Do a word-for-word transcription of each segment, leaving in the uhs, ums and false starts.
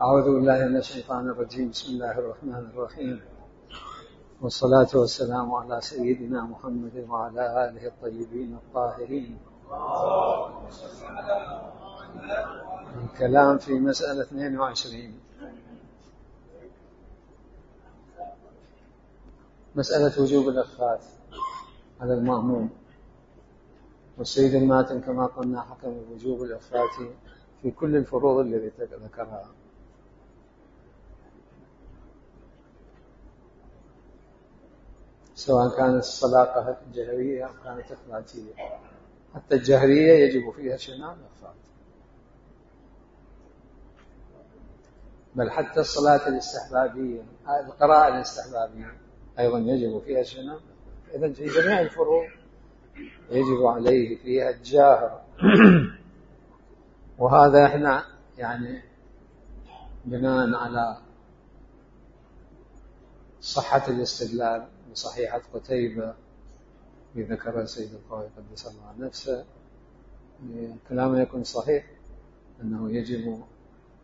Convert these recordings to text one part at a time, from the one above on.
أعوذ بالله من الشيطان الرجيم. بسم الله الرحمن الرحيم، والصلاة والسلام على سيدنا محمد وعلى آله الطيبين الطاهرين. الكلام في مسألة اثنين وعشرين، مسألة وجوب الإخفاء على المأموم. والسيد الماتن كما قلنا حكم بوجوب الإخفاء في كل الفروض التي ذكرها، سواء كانت الصلاة جهرية أو كانت إخفاتية. حتى الجهرية يجب فيها شنان الإخفاء، بل حتى الصلاة الاستحبابية، القراءة الاستحبابية أيضا يجب فيها شنان. إذن في جميع الفروض يجب عليه فيها الجاهر. وهذا احنا يعني بناء على صحة الاستدلال بصحيحة قتيبة بذكر السيد القاضي قدس الله نفسه، كلامه يكون صحيح أنه يجب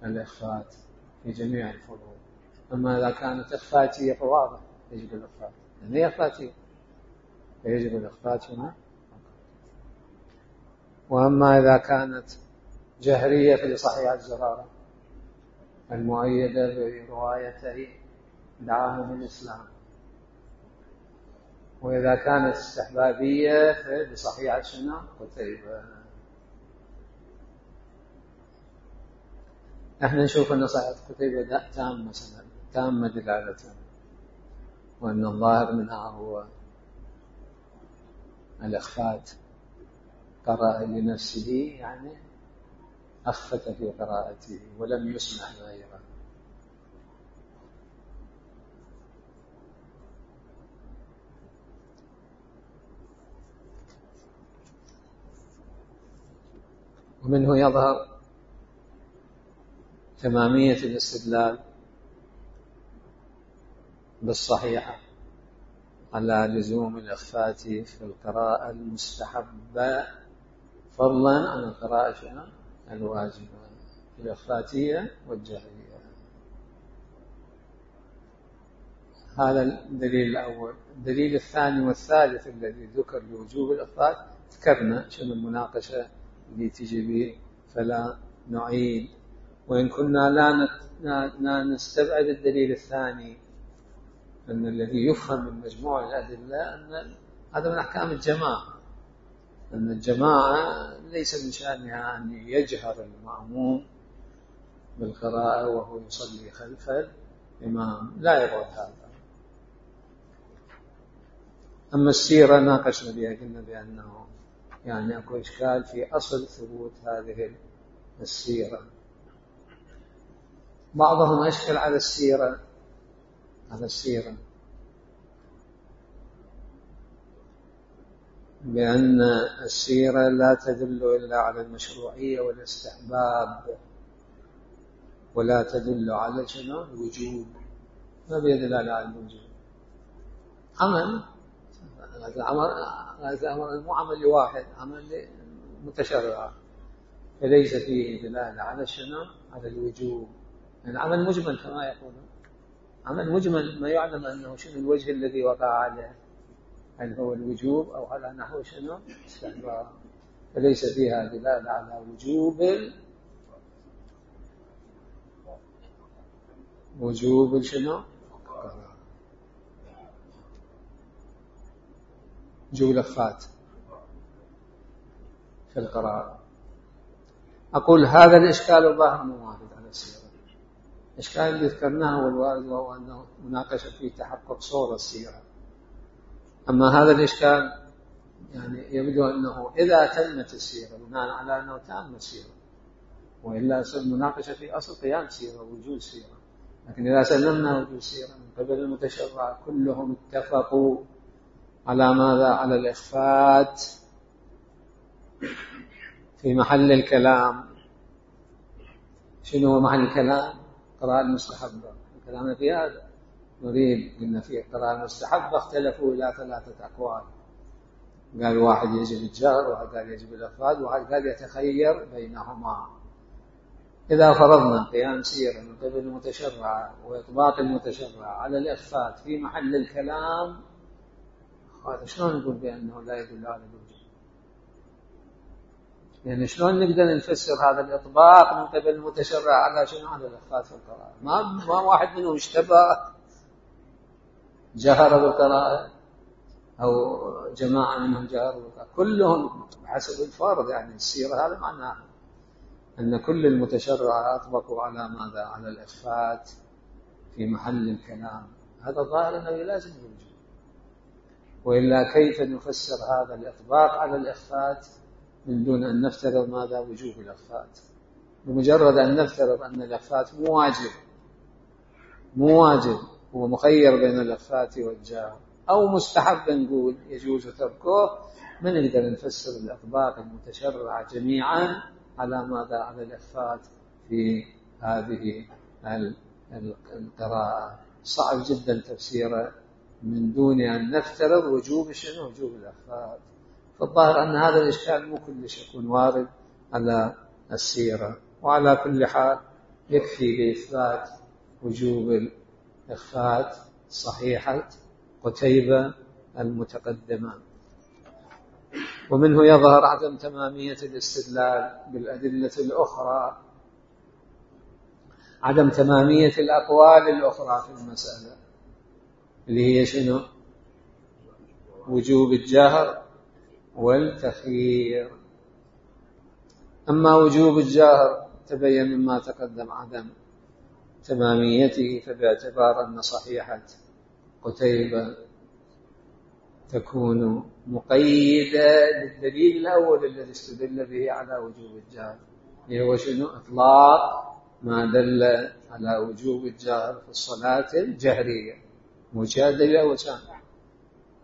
الإخفاء في جميع الفروض. أما إذا كانت إخفاتية فواضح يجب الإخفاء، يعني هي إخفاتية فيجب الإخفاء هنا. وأما إذا كانت جهرية فلصحيح الزرارة المؤيدة بروايتي دعاهم الإسلام. وإذا كانت استحبابية فلصحيح السنة قتيبة. نحن نشوف أن صحيح قتيبة تامة سنة تامة دلالة، وأن الظاهر منها هو الإخفاء. قرأ لنفسه يعني أخفت في قراءته ولم يسمع غيره. ومنه يظهر تمامية الاستدلال بالصحيحة على لزوم الإخفاء في القراءة المستحبة فضلا عن القراءة الواجبة، الإخفاتية والجهرية. هذا الدليل الأول. الدليل الثاني والثالث الذي ذكر لوجوب الإخفاء ذكرنا شنو المناقشة اللي تجي به، فلا نعيد. وإن كنا لا نستبعد الدليل الثاني، أن الذي يفهم من مجموع الأدلة أن هذا من أحكام الجماعة، أن الجماعة ليس من شأنها أن يجهر المأموم بالقراءة وهو يصلي خلف الإمام، لا يرد هذا. أما السيرة ناقشنا بها، قلنا بأنه يعني أكو إشكال في أصل ثبوت هذه السيرة. بعضهم أشكل على السيرة على السيرة بأن السيرة لا تدل إلا على المشروعية والاستحباب، ولا تدل على شنو الوجوب. ما بيدل على الوجوب. عمل هذا عمل هذا عمل مو عمل واحد، عمل متشرع، فليس فيه دلالة على شنو على الوجوب. يعني عمل مجمل كما يقولون، عمل مجمل ما يعلم أنه شنو الوجه الذي وقع عليه، هل هو الوجوب أو على نحو شنو استحباب، فليس فيها دلالة على وجوب وجوب شنو وجوب الإخفاء في القراءة. أقول هذا الإشكال الظاهر مو وارد على السيرة. الإشكال اللي ذكرناه هو الوارد، وهو أنه مناقشة في تحقق صورة السيرة. أما هذا الإشكال يعني يبدو أنه إذا تمت السيرة بناء على أنه تم السيرة، وإلا المناقشة في أصل قيام سيرة ووجود سيرة. لكن إذا سلمنا وجود سيرة من قبل المتشرع كلهم اتفقوا على ماذا؟ على الإخفاء في محل الكلام. شنو هو محل الكلام؟ قراءة المستحبة. كلامنا في هذا نريد قلنا فيه قراءة المستحبة اختلفوا إلى ثلاثة أقوال. قال واحد يجب الجهر، واحد قال يجب الإخفاء، واحد قال يتخير بينهما. إذا فرضنا قيام سيرة من قبل المتشرع وإطباق المتشرع على الإخفات في محل الكلام، هذا شلون نقول بأنه لا يدل على الوجوب؟ يعني شلون نقدر نفسر هذا الإطباق من قبل المتشرع على شنو؟ على الإخفات في القراءة. ما ما واحد منهم اشتبه جهر بالقراءة أو جماعة منهم جهروا بالقراءة، كلهم بحسب الفرض. يعني السيرة هذا معناه أن كل المتشرع أطبقوا على ماذا؟ على الإخفات في محل الكلام. هذا ظاهر أنه لازم الوجوب، وإلا كيف نفسر هذا الإطباق على الإخفات من دون أن نفترض ماذا؟ وجوب الإخفات. بمجرد أن نفترض أن الإخفات مو واجب مو واجب هو مخير بين الإخفات والجهر، أو مستحب نقول يجوز تركه، من نقدر نفسر الإطباق المتشرع جميعا على ماذا؟ على الإخفات في هذه القراءة. صعب جدا تفسيره من دون أن نفترض وجوب شنو؟ وجوب الإخفات. فالظاهر أن هذا الإشكال مو كلش يكون وارد على السيرة. وعلى كل حال يكفي لإثبات وجوب الإخفات صحيحة قتيبة المتقدمة. ومنه يظهر عدم تمامية الاستدلال بالأدلة الأخرى، عدم تمامية الأقوال الأخرى في المسألة اللي هي شنو؟ وجوب الجهر والتخيير. أما وجوب الجهر تبين مما تقدم عدم تماميته، فباعتبار أن صحيحة قتيبة تكون مقيدة للدليل الأول الذي استدل به على وجوب الجهر، اللي هو شنو؟ إطلاق ما دل على وجوب الجهر في الصلاة الجهرية. مجادلة وكان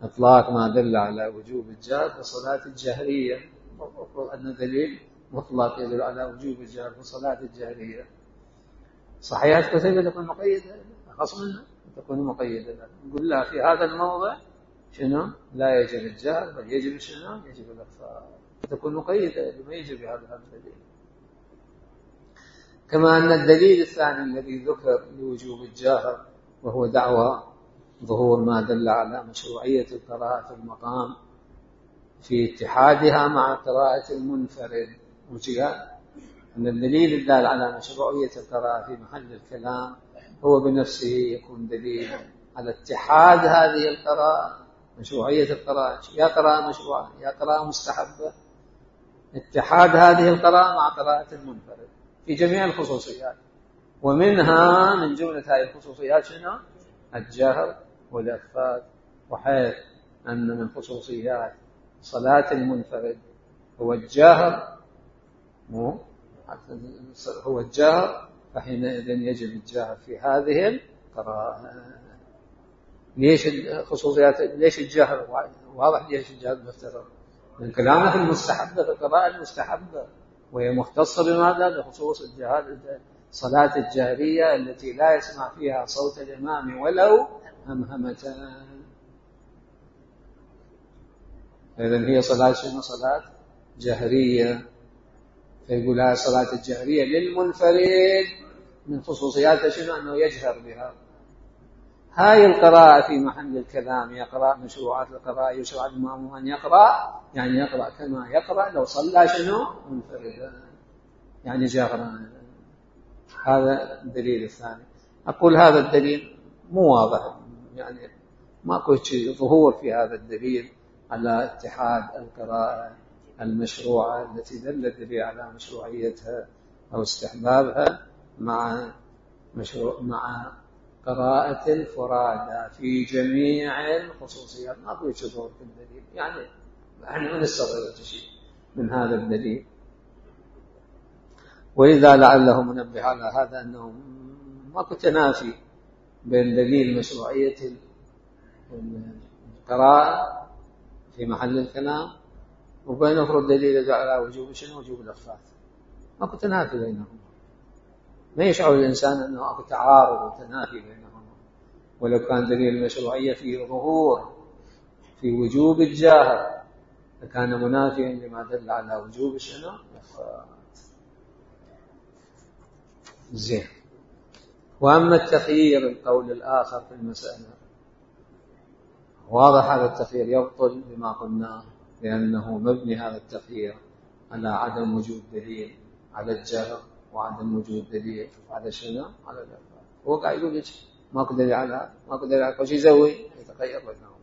إطلاق ما دل على وجوب الجهر في الصلاة الجهرية، المفروض أن دليل مطلق يدل على وجوب الجهر في الصلاة الجهرية. صحيحة قتيبة تكون مقيدة، أخص منها تكون مقيدة. نقول لها في هذا الموضع شنو؟ لا يجب الجهر، بل يجب شنو؟ يجب الإخفاء. تكون مقيدة لما يجب هذا الدليل. كما أن الدليل الثاني الذي ذكر لوجوب الجهر وهو دعوى ظهور ما دل على مشروعية القراءة في المقام في اتحادها مع قراءة المنفرد، وجاء أن الدليل الدال على مشروعية القراءة في محل الكلام هو بنفسه يكون دليل على اتحاد هذه القراءة، مشروعية القراءة، يا قراءة مشروعة يا قراءة مستحبة، اتحاد هذه القراءة مع قراءة المنفرد في جميع الخصوصيات. ومنها من جملة هذه الخصوصيات شنو؟ الجهر والإخفاء. وحيث أن من خصوصيات صلاة المنفرد هو الجهر مو هو الجهر، فحينئذ يجب الجهر في هذه القراءة. ليش الخصوصيات؟ ليش الجهر؟ واضح ليش الجهر مفترض من كلامه في المستحبة، في القراءة المستحبة، وهي مختصة بماذا؟ بخصوص الجهر، صلاة الجهرية التي لا يسمع فيها صوت الإمام ولو همهمة. إذن هي صلاة شنو؟ صلاة جهرية. فيقول هذه صلاة الجهرية للمنفرد من خصوصياتها شنو؟ أنه يجهر بها. هاي القراءة في محل الكلام يقرأ مشروعات القراءة، يشرع الإمام أن يقرأ، يعني يقرأ كما يقرأ لو صلى شنو؟ منفردا، يعني جهرا. هذا الدليل الثاني. أقول هذا الدليل مو واضح، يعني ماكو شيء ظهور في هذا الدليل على اتحاد القراءة المشروعة التي دل الدليل على مشروعيتها أو استحبابها مع مشروع مع قراءة الفرادى في جميع الخصوصيات. ماكو شيء ظهور في الدليل، يعني احنا ما نستغرب شيء من هذا الدليل. ولذا لعله منبه على هذا أنه ماكو تنافي بين دليل مشروعية القراءة في محل الكلام وبين أفرض دليل على وجوب شنو؟ وجوب الإخفاء. ماكو تنافي بينهم، ما يشعر الإنسان أنه أكو تعارض وتنافي بينهم. ولو كان دليل المشروعية فيه ظهور في وجوب الجهر فكان منافيا لما دل على وجوب شنو؟ الإخفاء. زين. وأما التخيير القول الآخر في المسألة، واضح هذا التخيير يبطل بما قلناه، لأنه مبني هذا التخيير على عدم وجود دليل على الجهر وعدم وجود دليل على شنو؟ على الإخفاء. هو قاعد يقول لك ماكو دليل على هذا ماكو دليل على، وش يسوي؟ يتخير بينهم.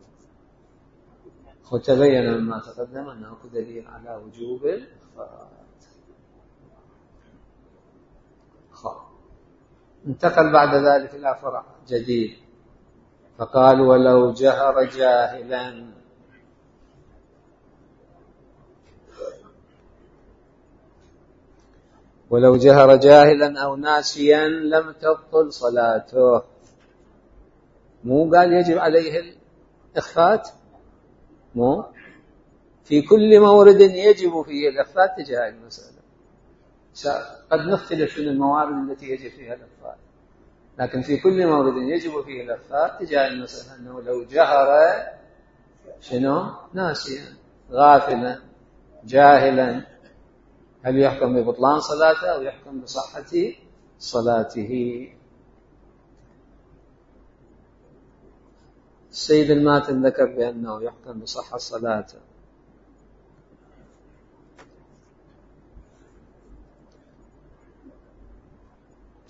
وتبين مما تقدم أنه ماكو دليل على وجوب الإخفاء. انتقل بعد ذلك إلى فرع جديد، فقال ولو جهر جاهلا ولو جهر جاهلا أو ناسيا لم تبطل صلاته. مو قال يجب عليه الإخفاء؟ مو في كل مورد يجب فيه الإخفاء تجاه المسألة. قد نختلف في الموارد التي يجب فيها الإخفاء، لكن في كل مورد يجب فيه الإخفاء تجاه المسألة أنه لو جهر شنو؟ ناسيا غافلا جاهلا، هل يحكم ببطلان صلاته أو يحكم بصحة صلاته؟ السيد الماتن ذكر بأنه يحكم بصحة صلاته.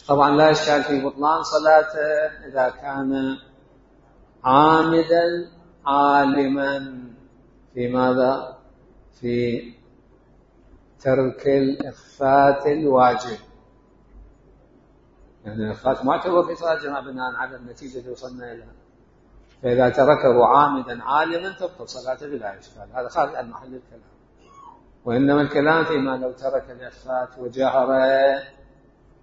طبعا لا إشكال في بطلان صلاته إذا كان عامدا عالما في ماذا؟ في ترك الإخفاء الواجب. يعني الإخفاء معتبر في صلاة الجماعة بناء على النتيجة اللي وصلنا إليها، فإذا تركه عامدا عالما تبطل صلاته بلا إشكال. هذا خارج عن محل الكلام، وإنما الكلام فيما لو ترك الإخفاء وجهر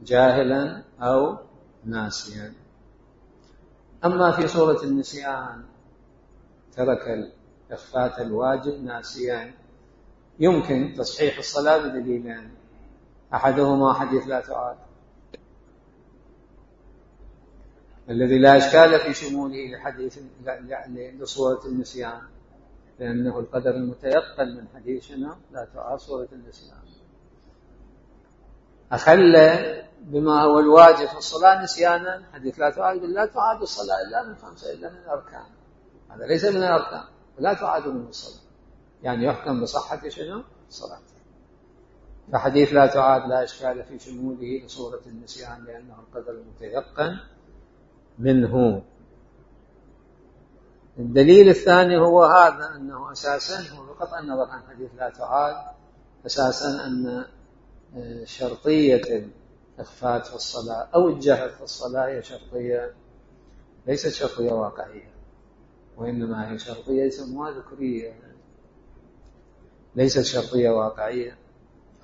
جاهلا أو ناسيا. أما في صورة النسيان ترك الإخفاء الواجب ناسيا، يمكن تصحيح الصلاة بدليلين، أحدهما حديث لا تعاد الذي لا إشكال في شموله لحديث لصورة النسيان، لأنه القدر المتيقن من حديثنا لا تعاد صورة النسيان. أخل بما هو الواجب في الصلاة نسيانا، حديث لا تعاد لا تعاد الصلاة إلا من خمسة إلا من الأركان، هذا ليس من الأركان، لا تعاد من الصلاة، يعني يحكم بصحة شنو؟ الصلاة. فحديث لا تعاد لا إشكال في شموله لصورة النسيان لأنه القدر المتيقن منه. الدليل الثاني هو هذا، أنه أساسا هو بقطع النظر عن حديث لا تعاد، أساسا أن شرطية الإخفاء في الصلاة أو الجهر في الصلاة هي شرطية ليست شرطية واقعية، وإنما هي شرطية يسموها ذكرية، ليست شرطية واقعية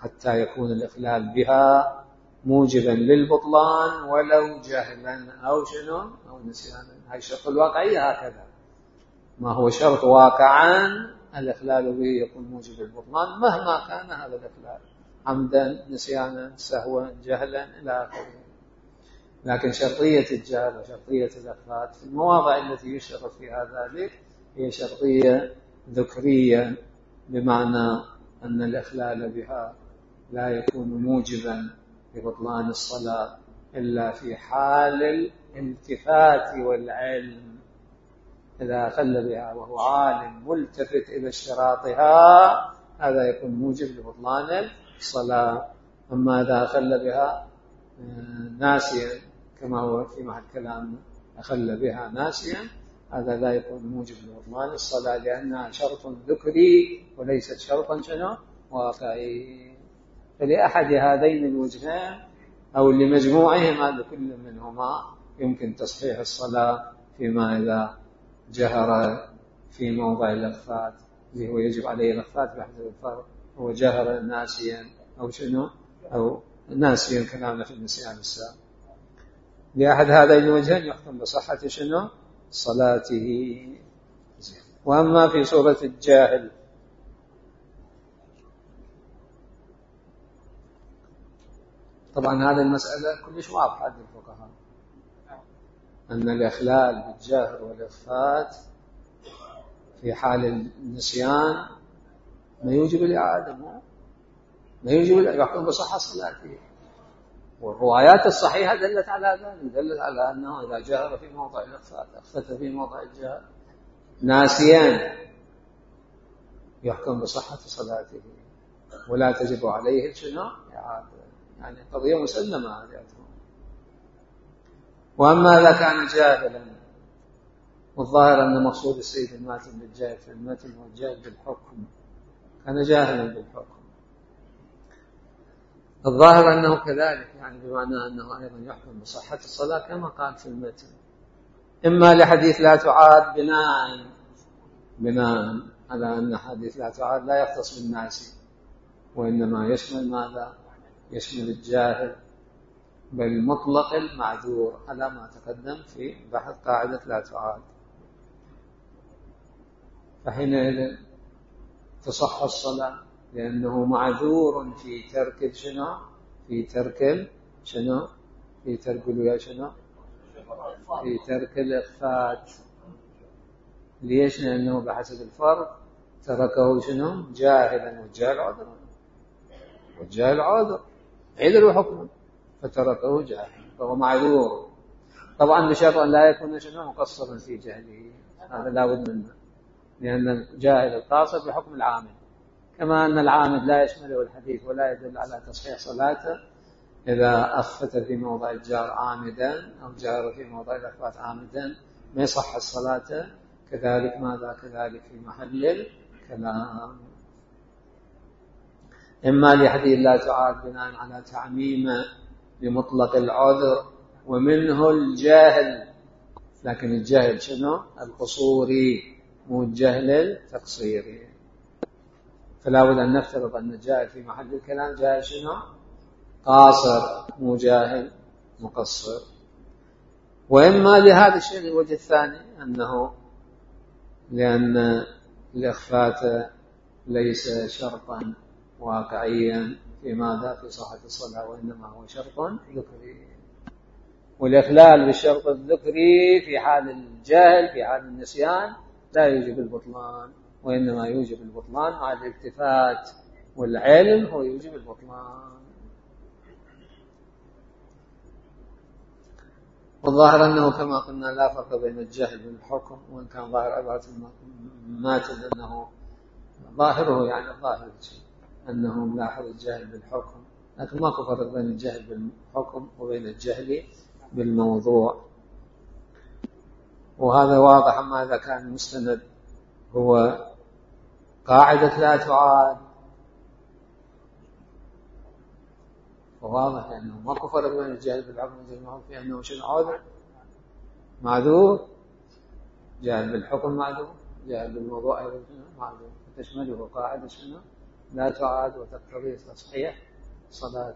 حتى يكون الإخلال بها موجبا للبطلان ولو جهلا أو شنو أو نسيانا. هاي الشرط الواقعية هكذا، ما هو شرط واقعا الإخلال به يكون موجب للبطلان مهما كان هذا الإخلال، عمدا نسيانا سهوا جهلا إلى آخره. لكن شرطية الجهل وشرطية الإخفاء في المواضع التي يشترط فيها ذلك هي شرطية ذكرية، بمعنى أن الإخلال بها لا يكون موجبا لبطلان الصلاة إلا في حال الالتفات والعلم. إذا أخل بها وهو عالم ملتفت إلى اشتراطها هذا يكون موجب لبطلان الصلاة. أما إذا أخل بها ناسيا كما هو في محل كلام أخل بها ناسيا هذا لا يكون موجب لبطلان الصلاة، لأنها شرط ذكري وليست شرطا شنو واقعي. فلأحد هذين الوجهين أو لمجموعهما لكل منهما يمكن تصحيح الصلاة فيما إذا جهر في موضع الإخفاء اللي هو يجب عليه الإخفاء بحسب الفرق، هو جهر ناسيا أو شنو أو ناسيا كلامنا في النسيان السابق. لأحد هذين الوجهين يحكم بصحة شنو صلاته. وأما في صورة الجاهل طبعا هذه المسألة كلش واضحة عند الفقهاء، أن الإخلال بالجهر والإخفاء في حال النسيان ما يوجب الإعادة، ما يوجب يحكم بصحة صلاته. والروايات الصحيحة دلت على ذلك، دلت على أنه إذا جهر في موضع الإخفاء أخفت في موضع الجهر ناسيا يحكم بصحة صلاته ولا تجب عليه شنو إعادة، يعني قضية مسلمة هذه. وأما إذا كان جاهلا، والظاهر أن مقصود السيد الماتن بالجاهل في المتن هو الجاهل بالحكم، كان جاهلا بالحكم، الظاهر أنه كذلك، يعني بمعنى أنه أيضا يحكم بصحة الصلاة كما قال في المتن، إما لحديث لا تعاد بناء بناء على أن حديث لا تعاد لا يختص بالناس، وإنما يشمل ماذا؟ يشمل الجاهل بل مطلق المعذور على ما تقدم في بحث قاعدة لا تعاد، فحينئذ تصح الصلاة لأنه معذور في ترك شنو؟ في ترك شنو؟ في ترك يا شنو؟ في ترك الإخفات. ليش؟ لأنه بحسب الفرق تركه شنو؟ جاهلا، والجاهل عذر، والجاهل عذر عذر حكمه، فتركه جاهلا فهو معذور، طبعا بشرط أن لا يكون شنو؟ مقصرا في جهله، هذا لا بد منه، لأن الجاهل القاصر بحكم العامل، كما أن العامل لا يشمله الحديث ولا يدل على تصحيح صلاته إذا أخفت في موضع الجار عامدا أو جار في موضع الإخفات عامدا ما يصح الصلاة، كذلك ماذا؟ كذلك في محل الكلام. إما لحديث لا تعاد بناء على تعميم بمطلق العذر ومنه الجاهل، لكن الجاهل شنو؟ القصوري مو الجهل التقصيري، فلا بد أن نفترض أن الجاهل في محل الكلام جاهل شنو؟ قاصر مو جاهل مقصر. وإما لهذا الشيء الوجه الثاني أنه لأن الإخفات ليس شرطا واقعيا في ماذا؟ في صحة الصلاة، وإنما هو شرط ذكري، والإخلال بالشرط الذكري في حال الجهل في حال النسيان لا يوجب البطلان، وإنما يوجب البطلان مع الالتفات، والعلم هو يوجب البطلان. والظاهر أنه كما قلنا لا فرق بين الجهل والحكم، وإن كان ظاهر عبارة الماتن أنه ظاهره يعني الظاهر أنه ملاحظ الجهل بالحكم، لكن ماكو فرق بين الجهل بالحكم وبين الجهل بالموضوع، وهذا واضح. أما إذا كان المستند هو قاعدة لا تعاد فواضح أنه ماكو فرق بين الجهل بالحكم والجهل بالموضوع، في أنه شنو؟ عذر معذور، جهل بالحكم معذور، جهل بالموضوع أيضا معذور، تشمله قاعدة شنو؟ لا تعاد وتقتضي تصحيح صلاة.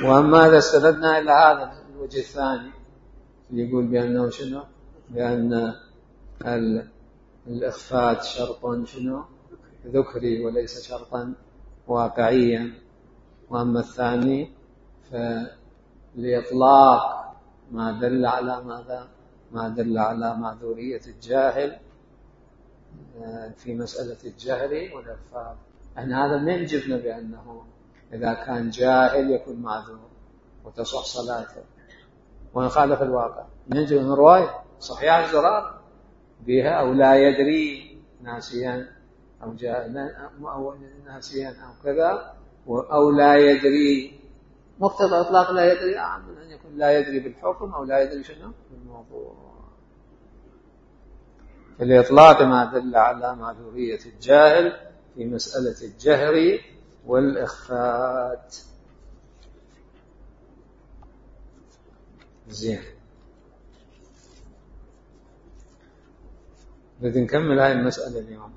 وأما إذا استندنا إلى هذا الوجه الثاني اللي يقول بأنه شنو؟ بأن الإخفات شرط شنو؟ ذكري وليس شرطا واقعيا. وأما الثاني فلإطلاق ما دل على ماذا؟ ما دل على معذورية الجاهل في مسألة الجهل والإخفاء. احنا هذا ما يجبنا بأنه إذا كان جاهل يكون معذور وتصح صلاته، وإن خالف الواقع نجد من رواية صحيح الزرار بها أو لا يدري ناسيا أو جاهلا أو ناسيا أو كذا، أو لا يدري، مقتضى إطلاق لا يدري أعم من أن يكون لا يدري بالحكم أو لا يدري شنو بالموضوع. فالإطلاق ما دل على معذورية الجاهل في مسألة الجهر والإخفات. زين، بدي نكمل هاي المسألة اليوم.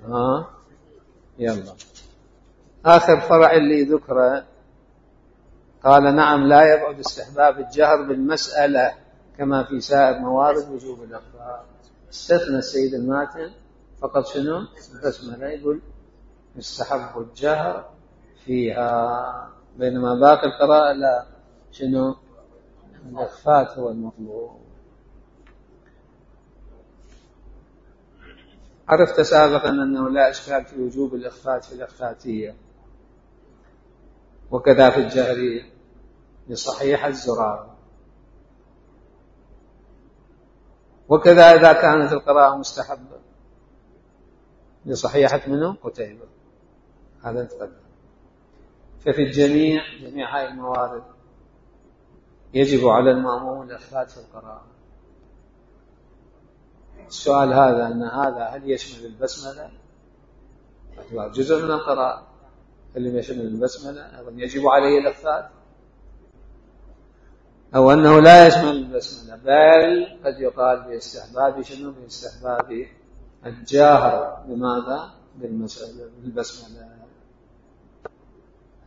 ها يلا، آخر فرع اللي ذكره قال نعم لا يبعد استحباب الجهر بالمسألة كما في سائر موارد وجوب الإخفاء. استثنى السيد الماتن فقط شنو؟ البسملة، يقول يستحب الجهر فيها، بينما باقي القراءة لا شنو؟ الإخفاء هو المطلوب. عرفت سابقا أنه لا إشكال في وجوب الإخفاء في الإخفاتية، وكذا في الجهرية لصحيحة زرارة. وكذا إذا كانت القراءة مستحبة لصحيحة منه قتيبة، هذا تقدم. ففي الجميع جميع هاي الموارد يجب على المأموم الإخفات في القراءة. السؤال هذا أن هذا هل يشمل البسملة؟ جزء من القراءة اللي يشمل البسملة أيضا يجب عليه الإخفات، أو أنه لا يشمل البسملة بل قد يقال باستحباب شنو؟ باستحباب الجاهر بماذا؟ بالبسملة.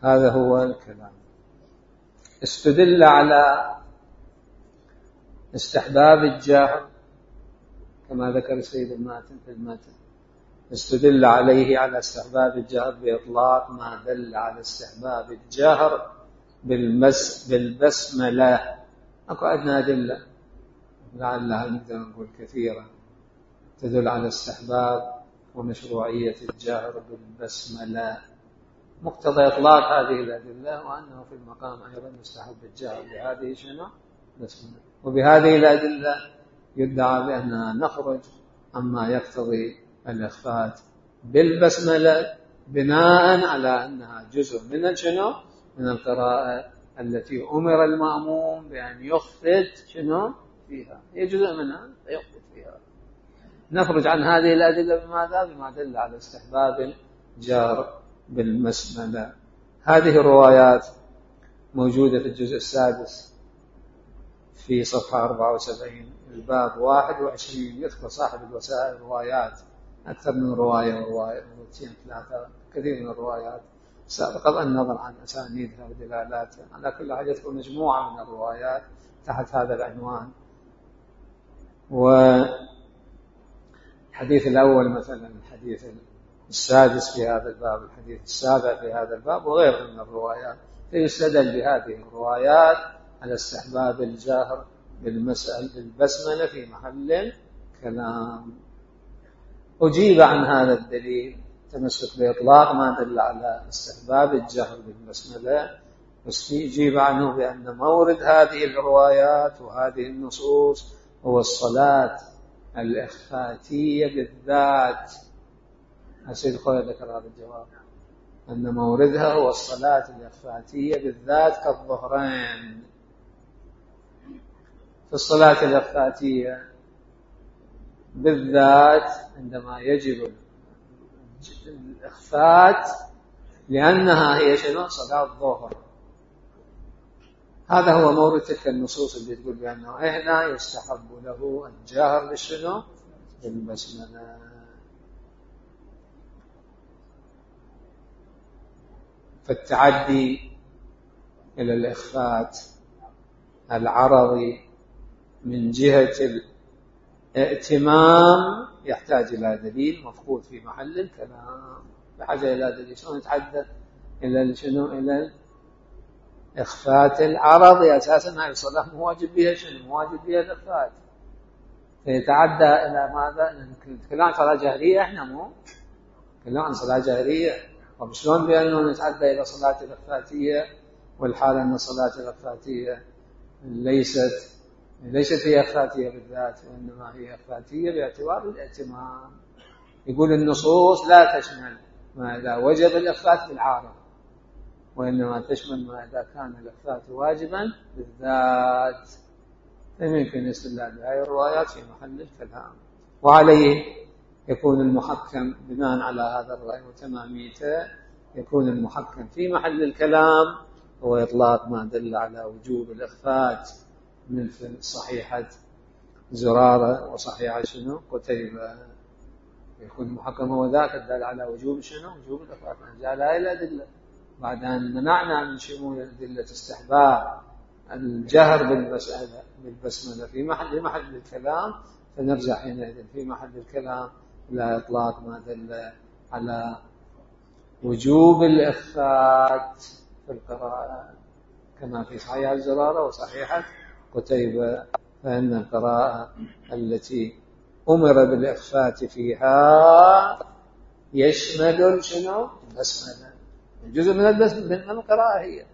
هذا هو الكلام. استدل على استحباب الجاهر كما ذكر السيد الماتن في الماتن، استدل عليه على استحباب الجهر بإطلاق ما دل على استحباب الجهر بالمس بالبسملة. أكو عندنا أدلة لعلها نقدر نقول كثيرة تدل على استحباب ومشروعية الجهر بالبسملة. مقتضى إطلاق هذه الأدلة وأنه في المقام أيضا يستحب الجهر بهذه شنو؟ بسملة. وبهذه الأدلة يدعى بأننا نخرج عما يقتضي الإخفات بالبسملة بناء على أنها جزء من شنو؟ من القراءة التي أمر المأموم بأن يخفت شنو؟ فيها، هي جزء منها يخفت فيها. نخرج عن هذه الأدلة بماذا؟ بما دل على استحباب الجهر بالبسملة. هذه الروايات موجودة في الجزء السادس في صفحة أربعة وسبعين الباب واحد وعشرين. يذكر صاحب الوسائل روايات أكثر من رواية ورواية ومئتين ثلاثة كثير من الروايات سابقا النظر عن أسانيدها ودلالاتها. على كل حال يذكر مجموعة من الروايات تحت هذا العنوان. والحديث الأول مثلا الحديث السادس في هذا الباب، الحديث السابع في هذا الباب وغيرها من الروايات، فيستدل بهذه الروايات على استحباب الجهر بالمسألة بالبسملة في محل كلام. أجيب عن هذا الدليل تمسك بإطلاق ما دل على استحباب الجهر بالبسملة، أجيب عنه بأن مورد هذه الروايات وهذه النصوص هو الصلاة الإخفاتية بالذات. السيد خوي ذكر هذا الجواب أن موردها هو الصلاة الإخفاتية بالذات كالظهرين. في الصلاة الإخفاتية بالذات عندما يجب الإخفات لأنها هي شنو؟ صلاة الظهر. هذا هو مورد تلك النصوص اللي تقول بأنه هنا يستحب له الجهر بالشنو؟ بالبسملة. فالتعدي إلى الإخفات العرضي من جهة الائتمام يحتاج إلى دليل مفقود في محل الكلام، بحاجة إلى دليل. شلون نتحدث إلى شنو؟ إلى الإخفات العرضي أساسا هاي الصلاة مواجب بها شنو؟ مواجب بها الإخفات، فيتعدى إلى ماذا؟ نتكلم عن صلاة جهرية، إحنا مو نتكلم عن صلاة جهرية. طب شلون بأنه نتعدى إلى صلاة الإخفاتية والحال أن الصلاة الإخفاتية ليست ليست هي إخفاتية بالذات وإنما هي إخفاتية باعتبار الائتمام. يقول النصوص لا تشمل ما إذا وجب الإخفات بالعارض، وإنما تشمل ما إذا كان الإخفات واجبا بالذات. فيمكن الاستدلال بهذه الروايات في محل الكلام، وعليه يكون المحكم بناء على هذا الرأي وتماميته، يكون المحكم في محل الكلام هو إطلاق ما دل على وجوب الإخفات مثل صحيحة زرارة وصحيحة شنو؟ قتيبة. يكون المحكم هو ذاك الدل على وجوب شنو؟ وجوب الإخفات. جاء لا إلى أدلة بعد أن منعنا من شمول أدلة استحباب الجهر بالمسألة بالبسملة في محل محل الكلام، فنرجع حينئذ في محل الكلام إلى إطلاق ما دل على وجوب الإخفات في القراءة كما في صحيحة الزرارة وصحيحة قتيبة. فإن القراءة التي أمر بالإخفات فيها يشمل شنو؟ البسملة. جزء من من القراءة هي.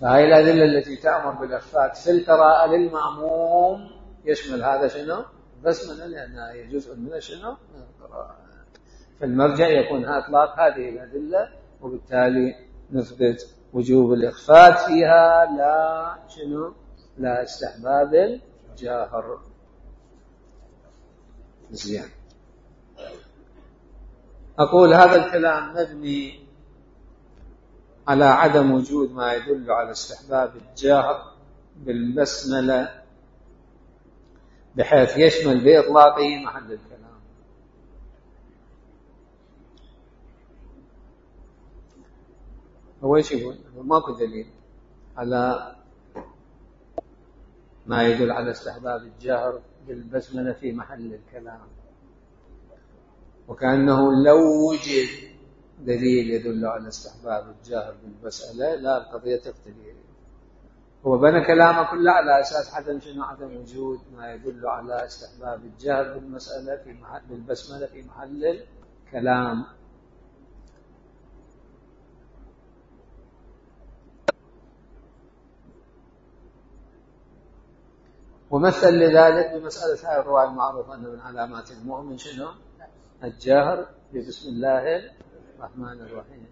فهي الأدلة التي تأمر بالإخفاء في القراءة للمأموم يشمل هذا شنو؟ البسملة، لأنها هي جزء من شنو؟ من القراءة. فالمرجع يكون إطلاق هذه الأدلة، وبالتالي نثبت وجوب الإخفاء فيها لا شنو؟ لا استحباب الجاهر. زين. أقول هذا الكلام مبني على عدم وجود ما يدل على استحباب الجاهر بالبسملة بحيث يشمل بإطلاقه محل الكلام. هو ايش يقول؟ ماكو دليل على ما يدل على استحباب الجهر بالبسملة في محل الكلام، وكأنه لو وجد دليل يدل على استحباب الجهر بالبسملة لا القضية تختلف. هو بنى كلامه كله على أساس عدم شنو؟ عدم وجود ما يدل على استحباب الجهر بالمسألة في محل بالبسملة في محل الكلام. ومثل لذلك بمسألة هاي الرواية المعروفة أن من علامات المؤمن شنو؟ الجهر ببسم الله الرحمن الرحيم.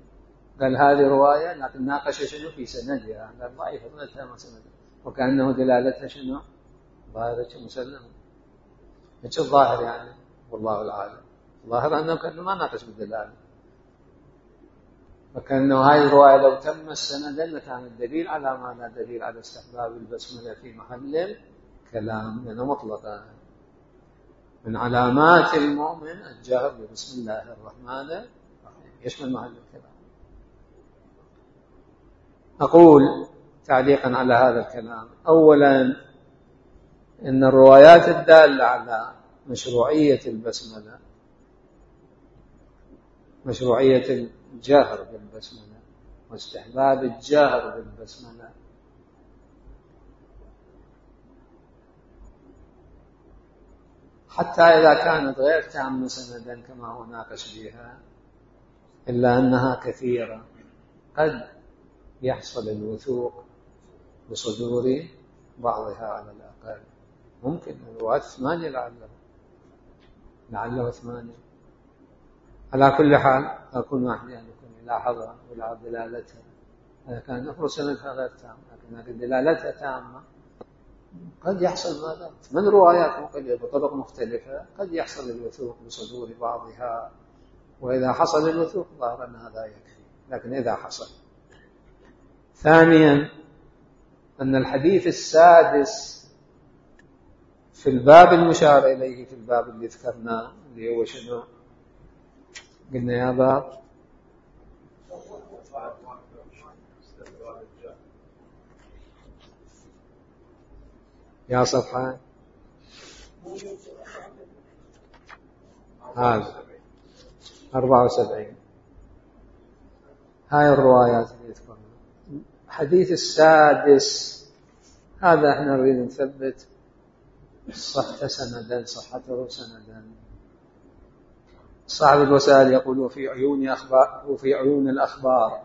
قال هذه رواية لكن ناقش شنو في سندها، قال ضعيفة ما سندها، وكأنه دلالتها شنو؟ ظاهرة مسلمة. ايش الظاهر يعني؟ والله العالم. الظاهر أنه كأنه ما ناقش بالدلالة، وكأنه هاي الرواية لو تم السند لكان الدليل على ما لا دليل على استحباب البسملة في محل كلام، لأنه مطلقا من علامات المؤمن الجهر ببسم الله الرحمن الرحيم يشمل محل الكلام. أقول تعليقا على هذا الكلام، أولا إن الروايات الدالة على مشروعية البسملة، مشروعية الجهر بالبسملة واستحباب الجهر بالبسملة، حتى إذا كانت غير تامة سندا كما هو ناقش بها، إلا أنها كثيرة، قد يحصل الوثوق بصدور بعضها على الأقل. ممكن الروايات ثمانية لعله لعله ثمانية. على كل حال أكون واحد يعني يكون يلاحظها ويلاحظ دلالتها. إذا كان نفر سندها غير تام لكن دلالتها تامة، قد يحصل ماذا؟ من روايات مختلفة بطرق مختلفة قد يحصل الوثوق بصدور بعضها، وإذا حصل الوثوق ظاهر أن هذا يكفي. لكن إذا حصل. ثانيا أن الحديث السادس في الباب المشار إليه في الباب اللي ذكرناه اللي هو شنو؟ قلنا يا باب يا صفحة هذا أربعة وسبعين. هاي الروايات اللي تذكرنا. الحديث السادس هذا احنا نريد نثبت صحته سندا، صحته سندا. صاحب الوسائل يقول في عيون أخبار وفي عيون الأخبار،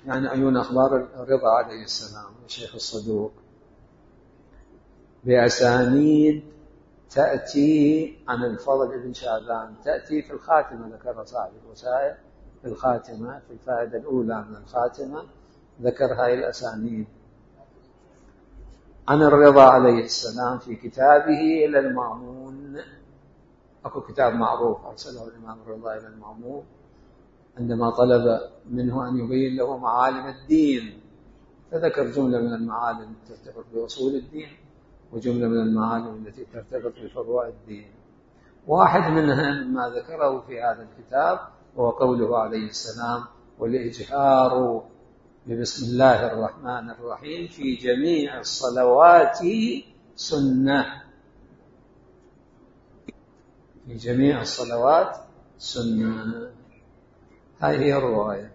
يعني عيون أخبار الرضا عليه السلام الشيخ الصدوق، بأسانيد تأتي عن الفضل بن شعبان، تأتي في الخاتمة. ذكر صاحب الوسائل في الخاتمة في الفائدة الأولى من الخاتمة ذكر هاي الأسانيد عن الرضا عليه السلام في كتابه إلى المأمون. أكو كتاب معروف أرسله الإمام الرضا إلى المأمون عندما طلب منه أن يبين له معالم الدين، فذكر جملة من المعالم التي ترتبط بأصول الدين وجملة من المعالم التي ترتبط بفروع الدين. واحد منها مما ذكره في هذا الكتاب هو قوله عليه السلام: والإجهار ببسم الله الرحمن الرحيم في جميع الصلوات سنة. في جميع الصلوات سنة. هذه هي الرواية.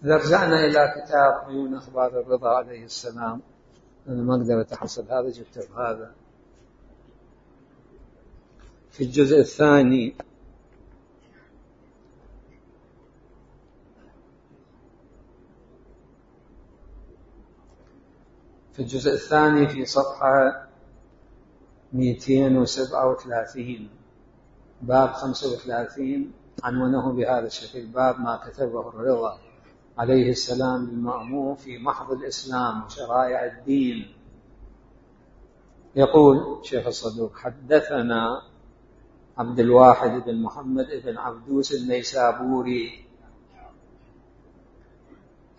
إذا رجعنا إلى كتاب عيون أخبار الرضا عليه السلام، أنا ما أقدر أتحصل هذا، جبته هذا في الجزء الثاني في الجزء الثاني في صفحة مئتين وسبعة وثلاثين باب خمسة وثلاثين عنونه بهذا الشكل: باب ما كتبه الرضا عليه السلام للمأمون في محض الإسلام وشرائع الدين. يقول شيخ الصدوق: حدثنا عبد الواحد بن محمد بن عبدوس النيسابوري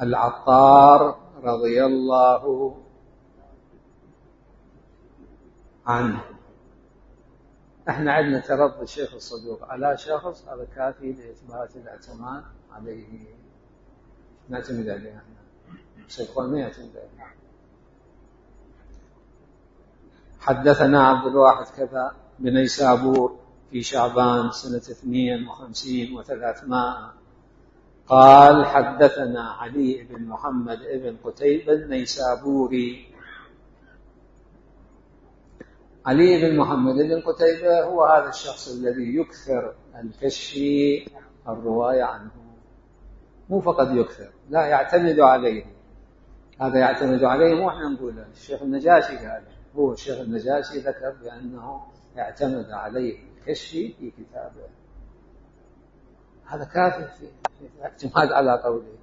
العطار رضي الله عنه. احنا عندنا ترضي الشيخ الصدوق على شخص، هذا كافي لإثبات الاعتماد عليه، نعتمد عليه احنا، شيخون ما يعتمد عليه. حدثنا عبد الواحد كذا بنيسابور في شعبان سنة اثنين وخمسين وثلاثمائة قال: حدثنا علي بن محمد بن قتيبة النيسابوري. علي بن محمد بن قتيبة هو هذا الشخص الذي يكثر الكشف الرواية عنه، مو فقط يكثر، لا يعتمد عليه. هذا يعتمد عليه مو احنا نقوله، الشيخ النجاشي قال، هو الشيخ النجاشي ذكر بأنه يعتمد عليه الكشف في كتابه. هذا كافر في الاعتماد على قوله،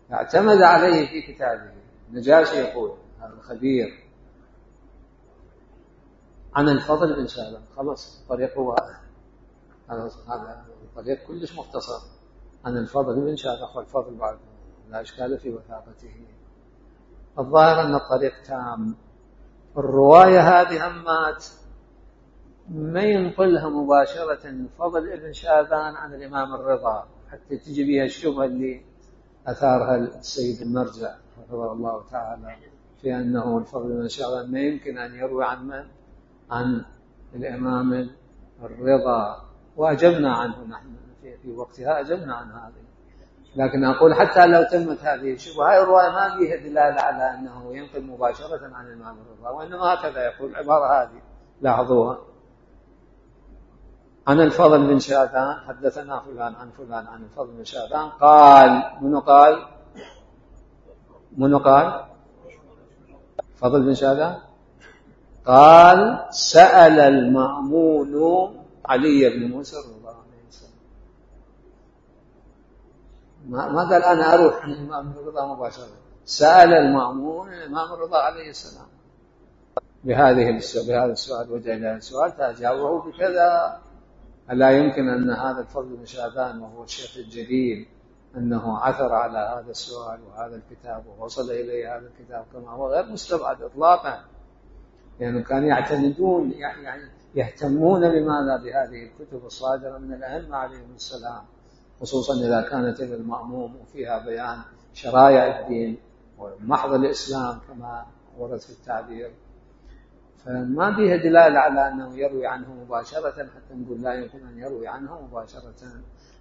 يعتمد عليه في كتابه. النجاشي يقول، هذا الخبير، عن الفضل بن شهبان. خلص الطريق هو هذا، هذا الطريق كلش مختصر، عن الفضل بن شهبان. والفضل بعد لا إشكال في وثاقته. الظاهر أن الطريق تام. الرواية هذه همات ما ينقلها مباشرة الفضل ابن شهبان عن الإمام الرضا، حتى تجي بها الشبهة اللي أثارها السيد المرجع رحمه الله تعالى في أنه الفضل ابن شهبان ما يمكن أن يروي عن من؟ عن الإمام الرضا. وأجبنا عنه نحن في وقتها، أجبنا عن هذه. لكن أقول حتى لو تمت هذه الشبهة، هاي الرواية ما فيها دلالة على أنه ينقل مباشرة عن الإمام الرضا، وإنما هكذا يقول العبارة هذه، لاحظوها: عن الفضل بن شهبان حدثنا فلان عن فلان عن الفضل بن شهبان قال. منو قال؟ منو قال؟ فضل بن شهبان قال: سأل المأمون علي بن موسى الرضا عليه السلام. ما قال أنا أروح عن الإمام الرضا مباشرة، سأل المأمون الإمام الرضا عليه السلام بهذه بهذا السؤال، وجه له السؤال فأجابه بكذا. ألا يمكن أن هذا الفضل بن شهبان وهو الشيخ الجليل أنه عثر على هذا السؤال وهذا الكتاب ووصل إليه هذا الكتاب كما هو غير مستبعد إطلاقا، لأنه يعني كانوا يعتمدون، يعني يهتمون بماذا؟ بهذه الكتب الصادرة من الأئمة عليهم السلام، خصوصا إذا كانت المأموم وفيها بيان شرائع الدين ومحض الإسلام كما ورد في التعبير. فما فيها دلالة على أنه يروي عنه مباشرة حتى نقول لا يمكن أن يروي عنه مباشرة.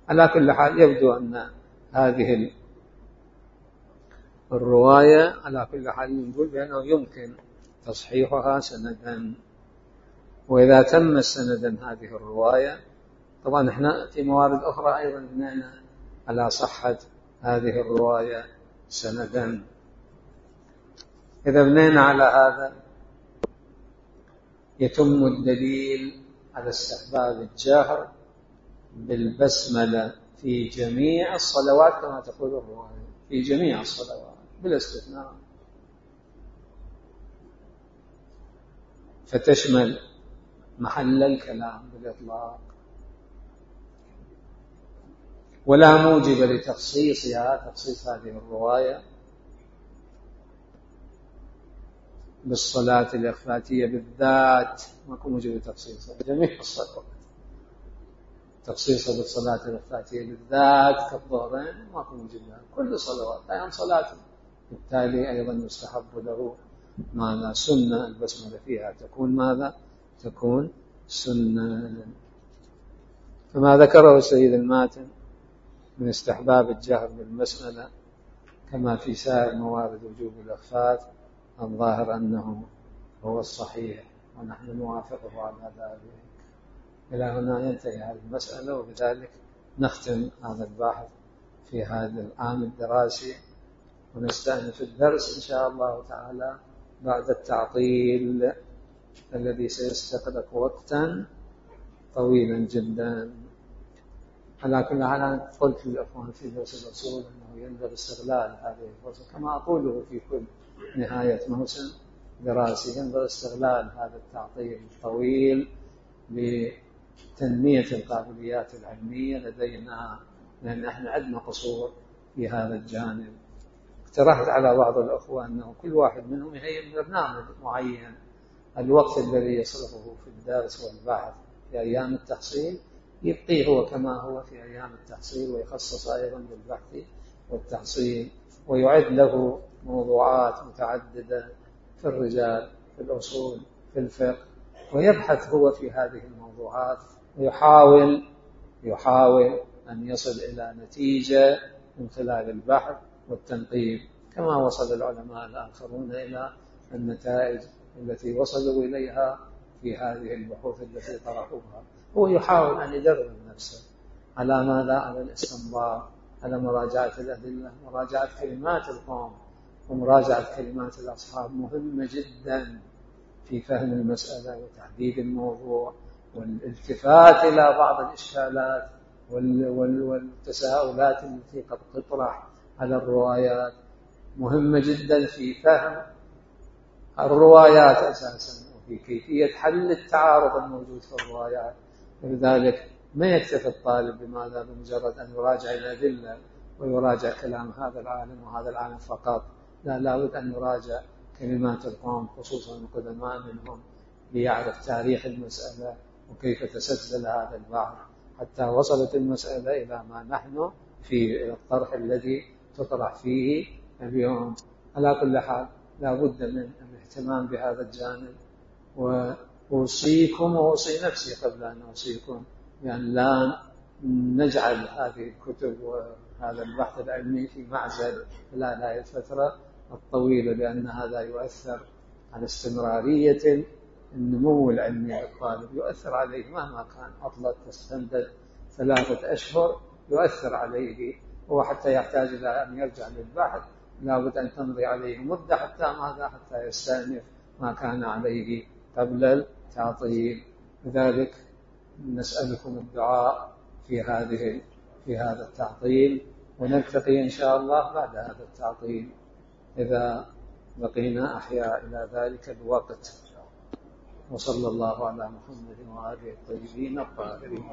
على كل حال يبدو أن هذه الرواية على كل حال نقول بأنه يمكن تصحيحها سندا. وإذا تم سندا هذه الرواية، طبعا احنا في موارد أخرى أيضا بنينا على صحة هذه الرواية سندا. إذا بنينا على هذا يتم الدليل على استحباب الجهر بالبسملة في جميع الصلوات كما تقول الرواية، في جميع الصلوات بلا استثناء، فتشمل محل الكلام بالإطلاق، ولا موجب لتخصيصها، تخصيص هذه الرواية بالصلاة الإخفاتية بالذات، ماكو موجب لتخصيصها جميع الصلوات. تخصيصها بالصلاة الإخفاتية بالذات كالظهرين ماكو موجب لها، كل صلوات أيام صلاة، بالتالي أيضا يستحب له ماذا؟ سنة البسملة فيها تكون ماذا؟ تكون سنة. فما ذكره السيد الماتن من استحباب الجهر بالبسملة كما في سائر موارد وجوب الإخفات، الظاهر أنه هو الصحيح، ونحن نوافقه على ذلك. إلى هنا ينتهي هذه المسألة، وبذلك نختم هذا البحث في هذا العام الدراسي، ونستأنف الدرس إن شاء الله تعالى بعد التعطيل الذي سيستغرق وقتا طويلا جدا. على كل حال أنا قلت للأخوان في درس الأصول أنه ينبغي استغلال هذه الفرصة، كما أقوله في كل نهاية موسم دراسي، ينبغي استغلال هذا التعطيل الطويل لتنمية القابليات العلمية لدينا، لأن احنا عندنا قصور في هذا الجانب. اقترحت على بعض الأخوة أنه كل واحد منهم يهيئ برنامج معين، الوقت الذي يصرفه في الدرس والبحث في أيام التحصيل يبقيه هو كما هو في أيام التحصيل، ويخصص أيضا للبحث والتحصيل، ويعد له موضوعات متعددة في الرجال، في الأصول، في الفقه، ويبحث هو في هذه الموضوعات ويحاول يحاول أن يصل إلى نتيجة من خلال البحث والتنقيب، كما وصل العلماء الآخرون إلى النتائج التي وصلوا إليها في هذه البحوث التي طرحوها. هو يحاول أن يدرب نفسه على ماذا؟ على الاستنباط، على مراجعة الأدلة، مراجعة كلمات القوم ومراجعة كلمات الأصحاب، مهمة جدا في فهم المسألة وتحديد الموضوع والالتفات إلى بعض الإشكالات والتساؤلات التي قد تطرح على الروايات، مهمة جدا في فهم الروايات أساسا وفي كيفية حل التعارض الموجود في الروايات. ولذلك ما يكتفي الطالب بماذا؟ بمجرد أن يراجع الأدلة ويراجع كلام هذا العالم وهذا العالم فقط، لا، لابد أن يراجع كلمات القوم خصوصا القدماء منهم ليعرف تاريخ المسألة وكيف تسلسل هذا البحث حتى وصلت المسألة إلى ما نحن في الطرح الذي تطرح فيه اليوم. على كل حال لا بد من الاهتمام بهذا الجانب، وأوصيكم وأوصي نفسي قبل أن أوصيكم يعني لا نجعل هذه الكتب وهذا البحث العلمي في معزل خلال هذه الفترة الطويلة، لأن هذا يؤثر على استمرارية النمو العلمي للطالب، يؤثر عليه مهما كان عطلة تستمدد ثلاثة أشهر، يؤثر عليه هو حتى يحتاج إلى أن يرجع للبحث، لابد أن تمضي عليه مدة حتى ماذا؟ حتى يستأنف ما كان عليه قبل التعطيل. لذلك نسألكم الدعاء في هذه في هذا التعطيل، ونلتقي إن شاء الله بعد هذا التعطيل إذا بقينا أحياء إلى ذلك الوقت. وصلى الله على محمد وآله الطيبين الطاهرين.